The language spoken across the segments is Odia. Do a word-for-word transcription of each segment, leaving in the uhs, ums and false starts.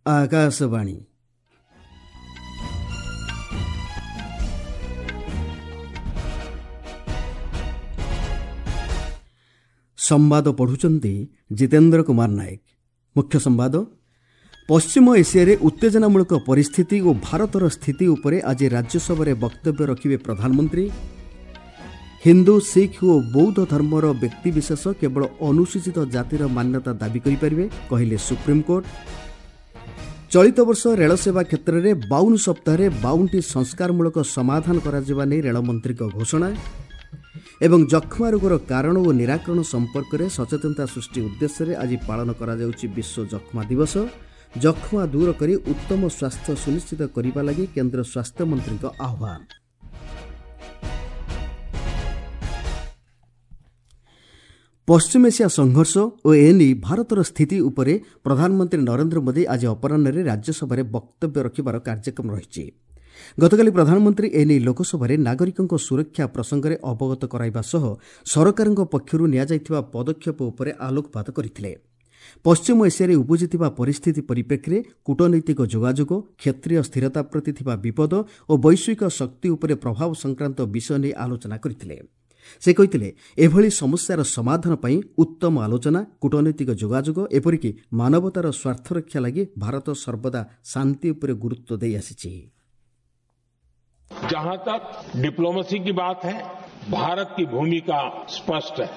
ଆକାଶବାଣୀ। ସମ୍ବାଦ ପଢ଼ୁଛନ୍ତି ଜିତେନ୍ଦ୍ର କୁମାର ନାୟକ। ମୁଖ୍ୟ ସମ୍ବାଦ। ପଶ୍ଚିମ ଏସିଆରେ ଉତ୍ତେଜନାମୂଳକ ପରିସ୍ଥିତି ଓ ଭାରତର ସ୍ଥିତି ଉପରେ ଆଜି ରାଜ୍ୟସଭାରେ ବକ୍ତବ୍ୟ ରଖିବେ ପ୍ରଧାନମନ୍ତ୍ରୀ। ହିନ୍ଦୁ, ଶିଖ ଓ ବୌଦ୍ଧ ଧର୍ମର ବ୍ୟକ୍ତିବିଶେଷ କେବଳ ଅନୁସୂଚିତ ଜାତିର ମାନ୍ୟତା ଦାବି କରିପାରିବେ, କହିଲେ ସୁପ୍ରିମକୋର୍ଟ। ଚଳିତ ବର୍ଷ ରେଳସେବା କ୍ଷେତ୍ରରେ ବାଉନ ସପ୍ତାହରେ ବାଉନଟି ସଂସ୍କାରମୂଳକ ସମାଧାନ କରାଯିବା ନେଇ ରେଳମନ୍ତ୍ରୀଙ୍କ ଘୋଷଣା। ଏବଂ ଯକ୍ଷ୍ମା ରୋଗର କାରଣ ଓ ନିରାକରଣ ସମ୍ପର୍କରେ ସଚେତନତା ସୃଷ୍ଟି ଉଦ୍ଦେଶ୍ୟରେ ଆଜି ପାଳନ କରାଯାଉଛି ବିଶ୍ୱ ଯକ୍ଷ୍ମା ଦିବସ। ଯକ୍ଷ୍ମା ଦୂର କରି ଉତ୍ତମ ସ୍ୱାସ୍ଥ୍ୟ ସୁନିଶ୍ଚିତ କରିବା ଲାଗି କେନ୍ଦ୍ର ସ୍ୱାସ୍ଥ୍ୟମନ୍ତ୍ରୀଙ୍କ ଆହ୍ୱାନ। ପଶ୍ଚିମ ଏସିଆ ସଂଘର୍ଷ ଓ ଏନେଇ ଭାରତର ସ୍ଥିତି ଉପରେ ପ୍ରଧାନମନ୍ତ୍ରୀ ନରେନ୍ଦ୍ର ମୋଦି ଆଜି ଅପରାହ୍ନରେ ରାଜ୍ୟସଭାରେ ବକ୍ତବ୍ୟ ରଖିବାର କାର୍ଯ୍ୟକ୍ରମ ରହିଛି। ଗତକାଲି ପ୍ରଧାନମନ୍ତ୍ରୀ ଏନେଇ ଲୋକସଭାରେ ନାଗରିକଙ୍କ ସୁରକ୍ଷା ପ୍ରସଙ୍ଗରେ ଅବଗତ କରାଇବା ସହ ସରକାରଙ୍କ ପକ୍ଷରୁ ନିଆଯାଇଥିବା ପଦକ୍ଷେପ ଉପରେ ଆଲୋକପାତ କରିଥିଲେ। ପଶ୍ଚିମ ଏସିଆରେ ଉପୁଜିଥିବା ପରିସ୍ଥିତି ପରିପ୍ରେକ୍ଷୀରେ କୂଟନୈତିକ ଯୋଗାଯୋଗ, କ୍ଷେତ୍ରୀୟ ସ୍ଥିରତା ପ୍ରତି ଥିବା ବିପଦ ଓ ବୈଶ୍ୱିକ ଶକ୍ତି ଉପରେ ପ୍ରଭାବ ସଂକ୍ରାନ୍ତ ବିଷୟ ନେଇ ଆଲୋଚନା କରିଥିଲେ। ସେ କହିଥିଲେ, ଏଭଳି ସମସ୍ୟାର ସମାଧାନ ପାଇଁ ଉତ୍ତମ ଆଲୋଚନା, କୂଟନୈତିକ ଯୋଗାଯୋଗ, ଏପରିକି ମାନବତାର ସ୍ୱାର୍ଥରକ୍ଷା ଲାଗି ଭାରତ ସର୍ବଦା ଶାନ୍ତି ଉପରେ ଗୁରୁତ୍ୱ ଦେଇ ଆସିଛି। जहां तक डिप्लोमेसी की बात है, भारत की भूमिका स्पष्ट है।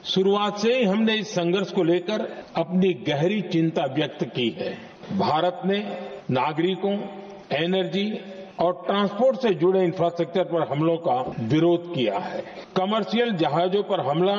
शुरुआत से ही हमने इस संघर्ष को लेकर अपनी गहरी चिंता व्यक्त की है। भारत ने नागरिकों, एनर्जी और ट्रांसपोर्ट से जुड़े इंफ्रास्ट्रक्चर पर हमलों का विरोध किया है। कमर्शियल जहाजों पर हमला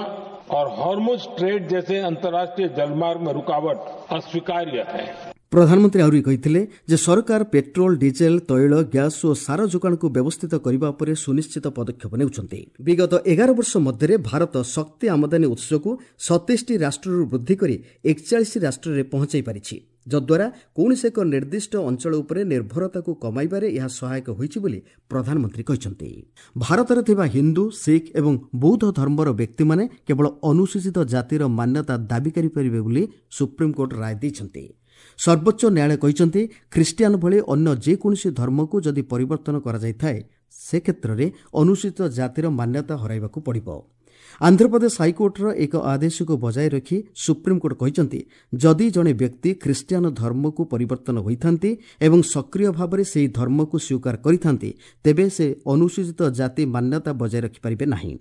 और हॉर्मुज स्ट्रेट जैसे अंतर्राष्ट्रीय जलमार्ग में रुकावट अस्वीकार्य है। ପ୍ରଧାନମନ୍ତ୍ରୀ ଆହୁରି କହିଥିଲେ ଯେ ସରକାର ପେଟ୍ରୋଲ, ଡିଜେଲ, ତୈଳ, ଗ୍ୟାସ୍ ଓ ସାର ଯୋଗାଣକୁ ବ୍ୟବସ୍ଥିତ କରିବା ଉପରେ ସୁନିଶ୍ଚିତ ପଦକ୍ଷେପ ନେଉଛନ୍ତି। ବିଗତ ଏଗାର ବର୍ଷ ମଧ୍ୟରେ ଭାରତ ଶକ୍ତି ଆମଦାନୀ ଉତ୍ସକୁ ସତେଇଶଟି ରାଷ୍ଟ୍ରରୁ ବୃଦ୍ଧି କରି ଏକଚାଳିଶ ରାଷ୍ଟ୍ରରେ ପହଞ୍ଚାଇ ପାରିଛି, ଯଦ୍ୱାରା କୌଣସି ଏକ ନିର୍ଦ୍ଦିଷ୍ଟ ଅଞ୍ଚଳ ଉପରେ ନିର୍ଭରତାକୁ କମାଇବାରେ ଏହା ସହାୟକ ହୋଇଛି ବୋଲି ପ୍ରଧାନମନ୍ତ୍ରୀ କହିଛନ୍ତି। ଭାରତରେ ଥିବା ହିନ୍ଦୁ, ଶିଖ ଏବଂ ବୌଦ୍ଧ ଧର୍ମର ବ୍ୟକ୍ତିମାନେ କେବଳ ଅନୁସୂଚିତ ଜାତିର ମାନ୍ୟତା ଦାବି କରିପାରିବେ ବୋଲି ସୁପ୍ରିମକୋର୍ଟ ରାୟ ଦେଇଛନ୍ତି। ସର୍ବୋଚ୍ଚ ନ୍ୟାୟାଳୟ କହିଛନ୍ତି, ଖ୍ରୀଷ୍ଟିଆନ ଭଳି ଅନ୍ୟ ଯେକୌଣସି ଧର୍ମକୁ ଯଦି ପରିବର୍ତ୍ତନ କରାଯାଇଥାଏ, ସେ କ୍ଷେତ୍ରରେ ଅନୁସୂଚିତ ଜାତିର ମାନ୍ୟତା ହରାଇବାକୁ ପଡ଼ିବ। ଆନ୍ଧ୍ରପ୍ରଦେଶ ହାଇକୋର୍ଟର ଏକ ଆଦେଶକୁ ବଜାୟ ରଖି ସୁପ୍ରିମକୋର୍ଟ କହିଛନ୍ତି, ଯଦି ଜଣେ ବ୍ୟକ୍ତି ଖ୍ରୀଷ୍ଟିଆନ ଧର୍ମକୁ ପରିବର୍ତ୍ତନ ହୋଇଥାନ୍ତି ଏବଂ ସକ୍ରିୟ ଭାବରେ ସେହି ଧର୍ମକୁ ସ୍ୱୀକାର କରିଥାନ୍ତି, ତେବେ ସେ ଅନୁସୂଚିତ ଜାତି ମାନ୍ୟତା ବଜାୟ ରଖିପାରିବେ ନାହିଁ।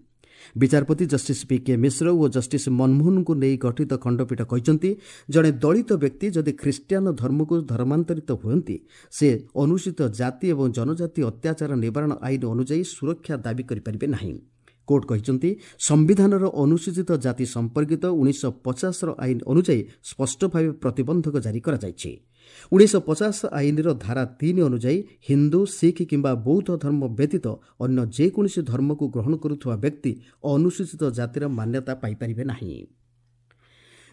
ବିଚାରପତି ଜଷ୍ଟିସ୍ ପି କେ ମିଶ୍ର ଓ ଜଷ୍ଟିସ୍ ମନମୋହନଙ୍କୁ ନେଇ ଗଠିତ ଖଣ୍ଡପୀଠ କହିଛନ୍ତି, ଜଣେ ଦଳିତ ବ୍ୟକ୍ତି ଯଦି ଖ୍ରୀଷ୍ଟିଆନ ଧର୍ମକୁ ଧର୍ମାନ୍ତରିତ ହୁଅନ୍ତି, ସେ ଅନୁସୂଚିତ ଜାତି ଏବଂ ଜନଜାତି ଅତ୍ୟାଚାର ନିବାରଣ ଆଇନ ଅନୁଯାୟୀ ସୁରକ୍ଷା ଦାବି କରିପାରିବେ ନାହିଁ। କୋର୍ଟ କହିଛନ୍ତି, ସମ୍ବିଧାନର ଅନୁସୂଚିତ ଜାତି ସମ୍ପର୍କିତ ଉଣେଇଶହ ପଚାଶର ଆଇନ ଅନୁଯାୟୀ ସ୍ପଷ୍ଟ ଭାବେ ପ୍ରତିବନ୍ଧକ ଜାରି କରାଯାଇଛି। ଉଣେଇଶହ ପଚାଶ ଆଇନର ଧାରା ତିନି ଅନୁଯାୟୀ ହିନ୍ଦୁ, ଶିଖ କିମ୍ବା ବୌଦ୍ଧ ଧର୍ମ ବ୍ୟତୀତ ଅନ୍ୟ ଯେକୌଣସି ଧର୍ମକୁ ଗ୍ରହଣ କରୁଥିବା ବ୍ୟକ୍ତି ଅନୁସୂଚିତ ଜାତିର ମାନ୍ୟତା ପାଇପାରିବେ ନାହିଁ।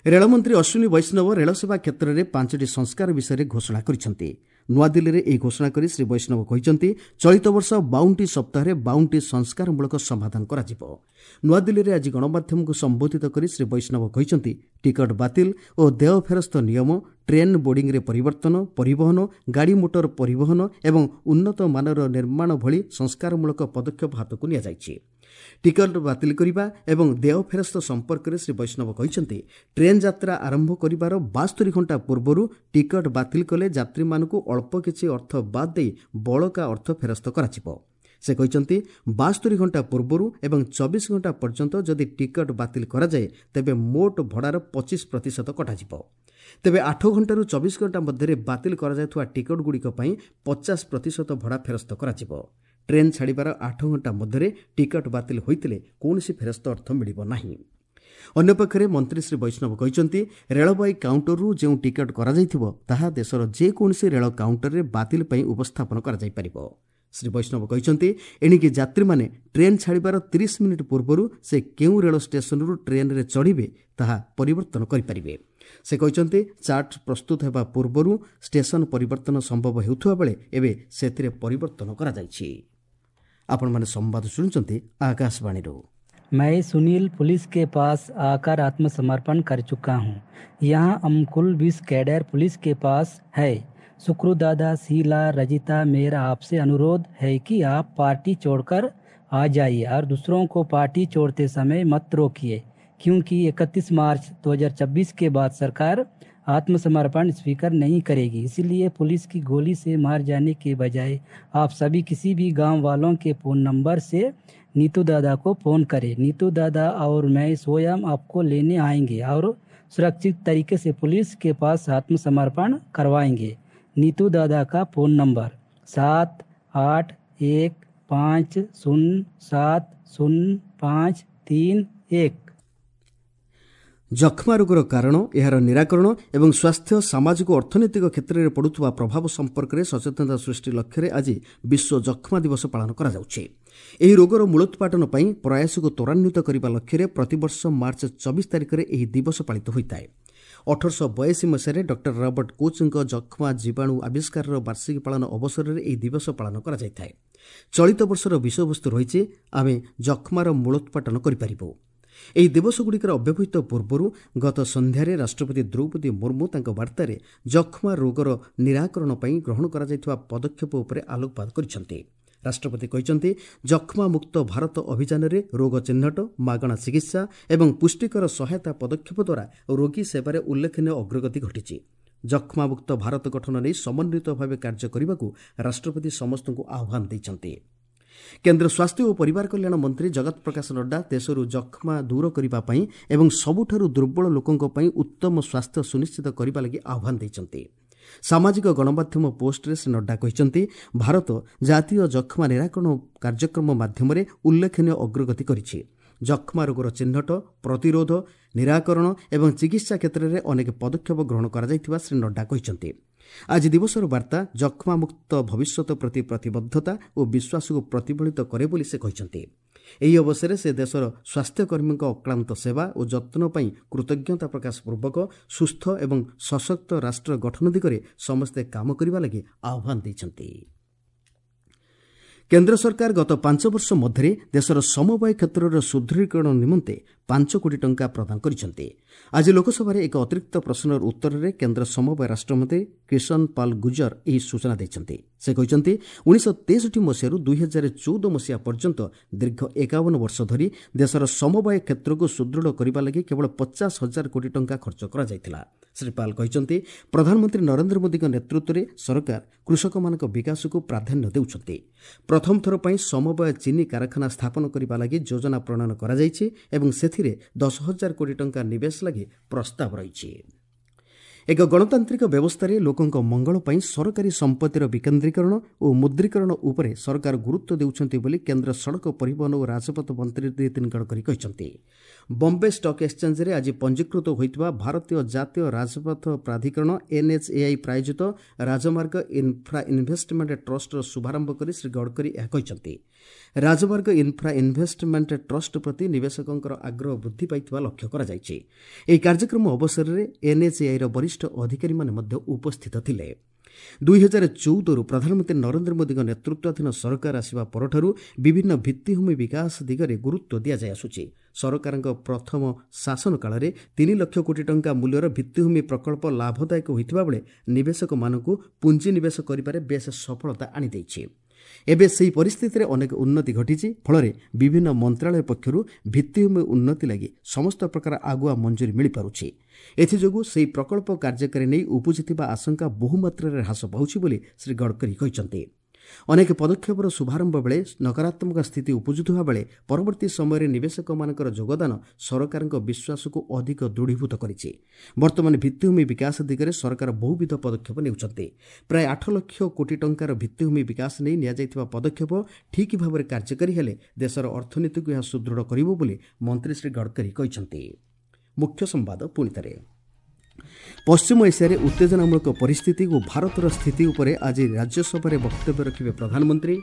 ରେଳମନ୍ତ୍ରୀ ଅଶ୍ୱିନୀ ବୈଷ୍ଣବ ରେଳସେବା କ୍ଷେତ୍ରରେ ପାଞ୍ଚଟି ସଂସ୍କାର ବିଷୟରେ ଘୋଷଣା କରିଛନ୍ତି। ନୂଆଦିଲ୍ଲୀରେ ଏହି ଘୋଷଣା କରି ଶ୍ରୀ ବୈଷ୍ଣବ କହିଛନ୍ତି, ଚଳିତ ବର୍ଷ ବାଉନଟି ସପ୍ତାହରେ ବାଉନଟି ସଂସ୍କାରମୂଳକ ସମାଧାନ କରାଯିବ। ନୂଆଦିଲ୍ଲୀରେ ଆଜି ଗଣମାଧ୍ୟମକୁ ସମ୍ବୋଧିତ କରି ଶ୍ରୀ ବୈଷ୍ଣବ କହିଛନ୍ତି, ଟିକଟ ବାତିଲ ଓ ଦେୟ ଫେରସ୍ତ ନିୟମ, ଟ୍ରେନ୍ ବୋର୍ଡିଂରେ ପରିବର୍ତ୍ତନ, ପରିବହନ, ଗାଡ଼ିମୋଟର ପରିବହନ ଏବଂ ଉନ୍ନତ ମାନର ନିର୍ମାଣ ଭଳି ସଂସ୍କାରମୂଳକ ପଦକ୍ଷେପ ହାତକୁ ନିଆଯାଇଛି। ଟିକଟ ବାତିଲ କରିବା ଏବଂ ଦେୟ ଫେରସ୍ତ ସମ୍ପର୍କରେ ଶ୍ରୀ ବୈଷ୍ଣବ କହିଛନ୍ତି, ଟ୍ରେନ୍ ଯାତ୍ରା ଆରମ୍ଭ କରିବାର ବାସ୍ତରି ଘଣ୍ଟା ପୂର୍ବରୁ ଟିକଟ ବାତିଲ କଲେ ଯାତ୍ରୀମାନଙ୍କୁ ଅଳ୍ପ କିଛି ଅର୍ଥ ବାଦ୍ ଦେଇ ବଳକା ଅର୍ଥ ଫେରସ୍ତ କରାଯିବ। ସେ କହିଛନ୍ତି, ବାସ୍ତରି ଘଣ୍ଟା ପୂର୍ବରୁ ଏବଂ ଚବିଶ ଘଣ୍ଟା ପର୍ଯ୍ୟନ୍ତ ଯଦି ଟିକଟ ବାତିଲ କରାଯାଏ, ତେବେ ମୋଟ ଭଡ଼ାର ପଚିଶ ପ୍ରତିଶତ କଟାଯିବ। ତେବେ ଆଠ ଘଣ୍ଟାରୁ ଚବିଶ ଘଣ୍ଟା ମଧ୍ୟରେ ବାତିଲ କରାଯାଉଥିବା ଟିକଟଗୁଡ଼ିକ ପାଇଁ ପଚାଶ ପ୍ରତିଶତ ଭଡ଼ା ଫେରସ୍ତ କରାଯିବ। ଟ୍ରେନ୍ ଛାଡ଼ିବାର ଆଠ ଘଣ୍ଟା ମଧ୍ୟରେ ଟିକଟ ବାତିଲ ହୋଇଥିଲେ କୌଣସି ଫେରସ୍ତ ଅର୍ଥ ମିଳିବ ନାହିଁ। ଅନ୍ୟପକ୍ଷରେ ମନ୍ତ୍ରୀ ଶ୍ରୀ ବୈଷ୍ଣବ କହିଛନ୍ତି, ରେଳବାଇ କାଉଣ୍ଟରରୁ ଯେଉଁ ଟିକଟ କରାଯାଇଥିବ ତାହା ଦେଶର ଯେକୌଣସି ରେଳ କାଉଣ୍ଟରରେ ବାତିଲ ପାଇଁ ଉପସ୍ଥାପନ କରାଯାଇପାରିବ। ଶ୍ରୀ ବୈଷ୍ଣବ କହିଛନ୍ତି, ଏଣିକି ଯାତ୍ରୀମାନେ ଟ୍ରେନ୍ ଛାଡ଼ିବାର ତିରିଶ ମିନିଟ୍ ପୂର୍ବରୁ ସେ କେଉଁ ରେଳ ଷ୍ଟେସନରୁ ଟ୍ରେନ୍ରେ ଚଢ଼ିବେ ତାହା ପରିବର୍ତ୍ତନ କରିପାରିବେ। ସେ କହିଛନ୍ତି, ଚାର୍ଟ ପ୍ରସ୍ତୁତ ହେବା ପୂର୍ବରୁ ଷ୍ଟେସନ ପରିବର୍ତ୍ତନ ସମ୍ଭବ ହେଉଥିବା ବେଳେ ଏବେ ସେଥିରେ ପରିବର୍ତ୍ତନ କରାଯାଇଛି। ଆପଣମାନେ ସମ୍ବାଦ ଶୁଣୁଛନ୍ତି ଆକାଶବାଣୀରୁ। मैं सुनील पुलिस के पास आकर आत्मसमर्पण कर चुका हूँ। यहाँ हम कुल बीस कैडर पुलिस के पास है। सुक्रू दादा, शीला, रजिता, मेरा आपसे अनुरोध है कि आप पार्टी छोड़कर आ जाइए और दूसरों को पार्टी छोड़ते समय मत रोकिए, क्योंकि इकतीस मार्च दो हज़ार छब्बीस के बाद सरकार आत्मसमर्पण स्वीकार नहीं करेगी। इसलिए पुलिस की गोली से मार जाने के बजाय आप सभी किसी भी गांव वालों के फ़ोन नंबर से नीतू दादा को फ़ोन करें। नीतू दादा और मैं स्वयं आपको लेने आएंगे और सुरक्षित तरीके से पुलिस के पास आत्मसमर्पण करवाएंगे। नीतू दादा का फ़ोन नंबर सात आठ एक पाँच शून्य सात शून्य पाँच तीन एक। ଯକ୍ଷ୍ମା ରୋଗର କାରଣ, ଏହାର ନିରାକରଣ ଏବଂ ସ୍ୱାସ୍ଥ୍ୟ, ସାମାଜିକ ଓ ଅର୍ଥନୈତିକ କ୍ଷେତ୍ରରେ ପଡ଼ୁଥିବା ପ୍ରଭାବ ସମ୍ପର୍କରେ ସଚେତନତା ସୃଷ୍ଟି ଲକ୍ଷ୍ୟରେ ଆଜି ବିଶ୍ୱ ଯକ୍ଷ୍ମା ଦିବସ ପାଳନ କରାଯାଉଛି। ଏହି ରୋଗର ମୂଳୋତ୍ପାଟନ ପାଇଁ ପ୍ରୟାସକୁ ତ୍ୱରାନ୍ୱିତ କରିବା ଲକ୍ଷ୍ୟରେ ପ୍ରତିବର୍ଷ ମାର୍ଚ୍ଚ ଚବିଶ ତାରିଖରେ ଏହି ଦିବସ ପାଳିତ ହୋଇଥାଏ। ଅଠରଶହ ବୟାଅଶୀ ମସିହାରେ ଡକ୍ଟର ରବର୍ଟ କୋଚ୍ଙ୍କ ଯକ୍ଷ୍ମା ଜୀବାଣୁ ଆବିଷ୍କାରର ବାର୍ଷିକୀ ପାଳନ ଅବସରରେ ଏହି ଦିବସ ପାଳନ କରାଯାଇଥାଏ। ଚଳିତ ବର୍ଷର ବିଷୟବସ୍ତୁ ରହିଛି ଆମେ ଯକ୍ଷ୍ମାର ମୂଳୋତ୍ପାଟନ କରିପାରିବୁ। ଏହି ଦିବସଗୁଡ଼ିକର ଅବ୍ୟବହିତ ପୂର୍ବରୁ ଗତ ସନ୍ଧ୍ୟାରେ ରାଷ୍ଟ୍ରପତି ଦ୍ରୌପଦୀ ମୁର୍ମୁ ତାଙ୍କ ବାର୍ତ୍ତାରେ ଯକ୍ଷ୍ମା ରୋଗର ନିରାକରଣ ପାଇଁ ଗ୍ରହଣ କରାଯାଇଥିବା ପଦକ୍ଷେପ ଉପରେ ଆଲୋକପାତ କରିଛନ୍ତି। ରାଷ୍ଟ୍ରପତି କହିଛନ୍ତି, ଯକ୍ଷ୍ମା ମୁକ୍ତ ଭାରତ ଅଭିଯାନରେ ରୋଗ ଚିହ୍ନଟ, ମାଗଣା ଚିକିତ୍ସା ଏବଂ ପୁଷ୍ଟିକର ସହାୟତା ପଦକ୍ଷେପ ଦ୍ୱାରା ରୋଗୀ ସେବାରେ ଉଲ୍ଲେଖନୀୟ ଅଗ୍ରଗତି ଘଟିଛି। ଯକ୍ଷ୍ମାମୁକ୍ତ ଭାରତ ଗଠନ ନେଇ ସମନ୍ୱିତ ଭାବେ କାର୍ଯ୍ୟ କରିବାକୁ ରାଷ୍ଟ୍ରପତି ସମସ୍ତଙ୍କୁ ଆହ୍ୱାନ ଦେଇଛନ୍ତି। କେନ୍ଦ୍ର ସ୍ୱାସ୍ଥ୍ୟ ଓ ପରିବାର କଲ୍ୟାଣ ମନ୍ତ୍ରୀ ଜଗତ ପ୍ରକାଶ ନଡ୍ଡା ଦେଶରୁ ଯକ୍ଷ୍ମା ଦୂର କରିବା ପାଇଁ ଏବଂ ସବୁଠାରୁ ଦୁର୍ବଳ ଲୋକଙ୍କ ପାଇଁ ଉତ୍ତମ ସ୍ୱାସ୍ଥ୍ୟ ସୁନିଶ୍ଚିତ କରିବା ଲାଗି ଆହ୍ୱାନ ଦେଇଛନ୍ତି। ସାମାଜିକ ଗଣମାଧ୍ୟମ ପୋଷ୍ଟରେ ଶ୍ରୀ ନଡ୍ଡା କହିଛନ୍ତି, ଭାରତ ଜାତୀୟ ଯକ୍ଷ୍ମା ନିରାକରଣ କାର୍ଯ୍ୟକ୍ରମ ମାଧ୍ୟମରେ ଉଲ୍ଲେଖନୀୟ ଅଗ୍ରଗତି କରିଛି। ଯକ୍ଷ୍ମା ରୋଗର ଚିହ୍ନଟ, ପ୍ରତିରୋଧ, ନିରାକରଣ ଏବଂ ଚିକିତ୍ସା କ୍ଷେତ୍ରରେ ଅନେକ ପଦକ୍ଷେପ ଗ୍ରହଣ କରାଯାଇଥିବା ଶ୍ରୀ ନଡ୍ଡା କହିଛନ୍ତି। ଆଜି ଦିବସର ବାର୍ତ୍ତା ଯକ୍ଷ୍ମାମୁକ୍ତ ଭବିଷ୍ୟତ ପ୍ରତି ପ୍ରତିବଦ୍ଧତା ଓ ବିଶ୍ୱାସକୁ ପ୍ରତିଫଳିତ କରେ ବୋଲି ସେ କହିଛନ୍ତି। ଏହି ଅବସରରେ ସେ ଦେଶର ସ୍ୱାସ୍ଥ୍ୟକର୍ମୀଙ୍କ ଅକ୍ଳାନ୍ତ ସେବା ଓ ଯତ୍ନ ପାଇଁ କୃତଜ୍ଞତା ପ୍ରକାଶ ପୂର୍ବକ ସୁସ୍ଥ ଏବଂ ସଶକ୍ତ ରାଷ୍ଟ୍ର ଗଠନ ଦିଗରେ ସମସ୍ତେ କାମ କରିବା ଲାଗି ଆହ୍ୱାନ ଦେଇଛନ୍ତି। କେନ୍ଦ୍ର ସରକାର ଗତ ପାଞ୍ଚ ବର୍ଷ ମଧ୍ୟରେ ଦେଶର ସମବାୟ କ୍ଷେତ୍ରର ସୁଦୃଢ଼ୀକରଣ ନିମନ୍ତେ ପାଞ୍ଚ କୋଟି ଟଙ୍କା ପ୍ରଦାନ କରିଛନ୍ତି। ଆଜି ଲୋକସଭାରେ ଏକ ଅତିରିକ୍ତ ପ୍ରଶ୍ନର ଉତ୍ତରରେ କେନ୍ଦ୍ର ସମବାୟ ରାଷ୍ଟ୍ରମନ୍ତ୍ରୀ କିଷନ ପାଲ ଗୁଜର ଏହି ସୂଚନା ଦେଇଛନ୍ତି। ସେ କହିଛନ୍ତି, ଉଣେଇଶହ ତେଷଠି ମସିହାରୁ ଦୁଇ ହଜାର ଚଉଦ ମସିହା ପର୍ଯ୍ୟନ୍ତ ଦୀର୍ଘ ଏକାବନ ବର୍ଷ ଧରି ଦେଶର ସମବାୟ କ୍ଷେତ୍ରକୁ ସୁଦୃଢ଼ କରିବା ଲାଗି କେବଳ ପଚାଶ ହଜାର କୋଟି ଟଙ୍କା ଖର୍ଚ୍ଚ କରାଯାଇଥିଲା। ଶ୍ରୀ ପାଲ କହିଛନ୍ତି, ପ୍ରଧାନମନ୍ତ୍ରୀ ନରେନ୍ଦ୍ର ମୋଦିଙ୍କ ନେତୃତ୍ୱରେ ସରକାର କୃଷକମାନଙ୍କ ବିକାଶକୁ ପ୍ରାଧାନ୍ୟ ଦେଉଛନ୍ତି। ପ୍ରଥମ ଥର ପାଇଁ ସମବାୟ ଚିନି କାରଖାନା ସ୍ଥାପନ କରିବା ଲାଗି ଯୋଜନା ପ୍ରଣୟନ କରାଯାଇଛି ଏବଂ ସେଥିରେ ଦଶ ହଜାର କୋଟି ଟଙ୍କା ନିବେଶ ଲାଗି ପ୍ରସ୍ତାବ ରହିଛି। ଏକ ଗଣତାନ୍ତ୍ରିକ ବ୍ୟବସ୍ଥାରେ ଲୋକଙ୍କ ମଙ୍ଗଳ ପାଇଁ ସରକାରୀ ସମ୍ପତ୍ତିର ବିକେନ୍ଦ୍ରୀକରଣ ଓ ମୁଦ୍ରୀକରଣ ଉପରେ ସରକାର ଗୁରୁତ୍ୱ ଦେଉଛନ୍ତି ବୋଲି କେନ୍ଦ୍ର ସଡ଼କ ପରିବହନ ଓ ରାଜପଥ ମନ୍ତ୍ରୀ ନୀତିନ ଗଡ଼କରୀ କହିଛନ୍ତି। ବମ୍ବେ ଷ୍ଟକ୍ ଏକ୍ସଚେଞ୍ଜରେ ଆଜି ପଞ୍ଜୀକୃତ ହୋଇଥିବା ଭାରତୀୟ ଜାତୀୟ ରାଜପଥ ପ୍ରାଧିକରଣ ଏନ୍ଏଚ୍ଏଆଇ ପ୍ରାୟୋଜିତ ରାଜମାର୍ଗ ଇନ୍ଫ୍ରା ଇନଭେଷ୍ଟମେଣ୍ଟ ଟ୍ରଷ୍ଟର ଶୁଭାରମ୍ଭ କରି ଶ୍ରୀ ଗଡ଼କରୀ ଏହା କହିଛନ୍ତି। ରାଜମାର୍ଗ ଇନ୍ଫ୍ରା ଇନଭେଷ୍ଟମେଣ୍ଟ ଟ୍ରଷ୍ଟ ପ୍ରତି ନିବେଶକଙ୍କର ଆଗ୍ରହ ବୃଦ୍ଧି ପାଇଥିବା ଲକ୍ଷ୍ୟ କରାଯାଇଛି। ଏହି କାର୍ଯ୍ୟକ୍ରମ ଅବସରରେ ଏନ୍ଏଚ୍ଏଆଇର ବରିଷ୍ଠ ଅଧିକାରୀମାନେ ମଧ୍ୟ ଉପସ୍ଥିତ ଥିଲେ। ଦୁଇ ହଜାର ଚଉଦରୁ ପ୍ରଧାନମନ୍ତ୍ରୀ ନରେନ୍ଦ୍ର ମୋଦିଙ୍କ ନେତୃତ୍ୱାଧୀନ ସରକାର ଆସିବା ପରଠାରୁ ବିଭିନ୍ନ ଭିତ୍ତିଭୂମି ବିକାଶ ଦିଗରେ ଗୁରୁତ୍ୱ ଦିଆଯାଇଆସୁଛି। ସରକାରଙ୍କ ପ୍ରଥମ ଶାସନ କାଳରେ ତିନି ଲକ୍ଷ କୋଟି ଟଙ୍କା ମୂଲ୍ୟର ଭିତ୍ତିଭୂମି ପ୍ରକଳ୍ପ ଲାଭଦାୟକ ହୋଇଥିବା ବେଳେ ନିବେଶକମାନଙ୍କୁ ପୁଞ୍ଜିନିବେଶ କରିବାରେ ବେଶ୍ ସଫଳତା ଆଣିଦେଇଛି। ଏବେ ସେହି ପରିସ୍ଥିତିରେ ଅନେକ ଉନ୍ନତି ଘଟିଛି। ଫଳରେ ବିଭିନ୍ନ ମନ୍ତ୍ରାଳୟ ପକ୍ଷରୁ ଭିତ୍ତିଭୂମି ଉନ୍ନତି ଲାଗି ସମସ୍ତ ପ୍ରକାର ଆଗୁଆ ମଞ୍ଜୁରୀ ମିଳିପାରୁଛି। ଏଥିଯୋଗୁଁ ସେହି ପ୍ରକଳ୍ପ କାର୍ଯ୍ୟକାରୀ ନେଇ ଉପୁଜିଥିବା ଆଶଙ୍କା ବହୁମାତ୍ରାରେ ହ୍ରାସ ପାଉଛି ବୋଲି ଶ୍ରୀ ଗଡ଼କରୀ କହିଛନ୍ତି। ଅନେକ ପଦକ୍ଷେପର ଶୁଭାରମ୍ଭ ବେଳେ ନକାରାତ୍ମକ ସ୍ଥିତି ଉପୁଜୁଥିବା ବେଳେ ପରବର୍ତ୍ତୀ ସମୟରେ ନିବେଶକମାନଙ୍କର ଯୋଗଦାନ ସରକାରଙ୍କ ବିଶ୍ୱାସକୁ ଅଧିକ ଦୃଢ଼ୀଭୂତ କରିଛି। ବର୍ତ୍ତମାନ ଭିତ୍ତିଭୂମି ବିକାଶ ଦିଗରେ ସରକାର ବହୁବିଧ ପଦକ୍ଷେପ ନେଉଛନ୍ତି। ପ୍ରାୟ ଆଠ ଲକ୍ଷ କୋଟି ଟଙ୍କାର ଭିତ୍ତିଭୂମି ବିକାଶ ନେଇ ନିଆଯାଇଥିବା ପଦକ୍ଷେପ ଠିକ୍ ଭାବରେ କାର୍ଯ୍ୟକାରୀ ହେଲେ ଦେଶର ଅର୍ଥନୀତିକୁ ଏହା ସୁଦୃଢ଼ କରିବ ବୋଲି ମନ୍ତ୍ରୀ ଶ୍ରୀ ଗଡ଼କରୀ କହିଛନ୍ତି। ମୁଖ୍ୟ ସମ୍ବାଦ ପୁଣିଥରେ। ପଶ୍ଚିମ ଏସିଆରେ ଉତ୍ତେଜନାମୂଳକ ପରିସ୍ଥିତି ଓ ଭାରତର ସ୍ଥିତି ଉପରେ ଆଜି ରାଜ୍ୟସଭାରେ ବକ୍ତବ୍ୟ ରଖିବେ ପ୍ରଧାନମନ୍ତ୍ରୀ।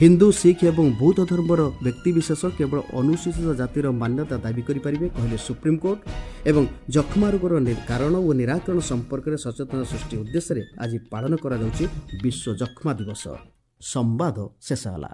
ହିନ୍ଦୁ, ଶିଖ ଏବଂ ବୌଦ୍ଧ ଧର୍ମର ବ୍ୟକ୍ତିବିଶେଷ କେବଳ ଅନୁସୂଚିତ ଜାତିର ମାନ୍ୟତା ଦାବି କରିପାରିବେ କହିଲେ ସୁପ୍ରିମକୋର୍ଟ। ଏବଂ ଯକ୍ଷ୍ମା ରୋଗର କାରଣ ଓ ନିରାକରଣ ସମ୍ପର୍କରେ ସଚେତନତା ସୃଷ୍ଟି ଉଦ୍ଦେଶ୍ୟରେ ଆଜି ପାଳନ କରାଯାଉଛି ବିଶ୍ୱ ଯକ୍ଷ୍ମା ଦିବସ। ସମ୍ବାଦ ଶେଷ ହେଲା।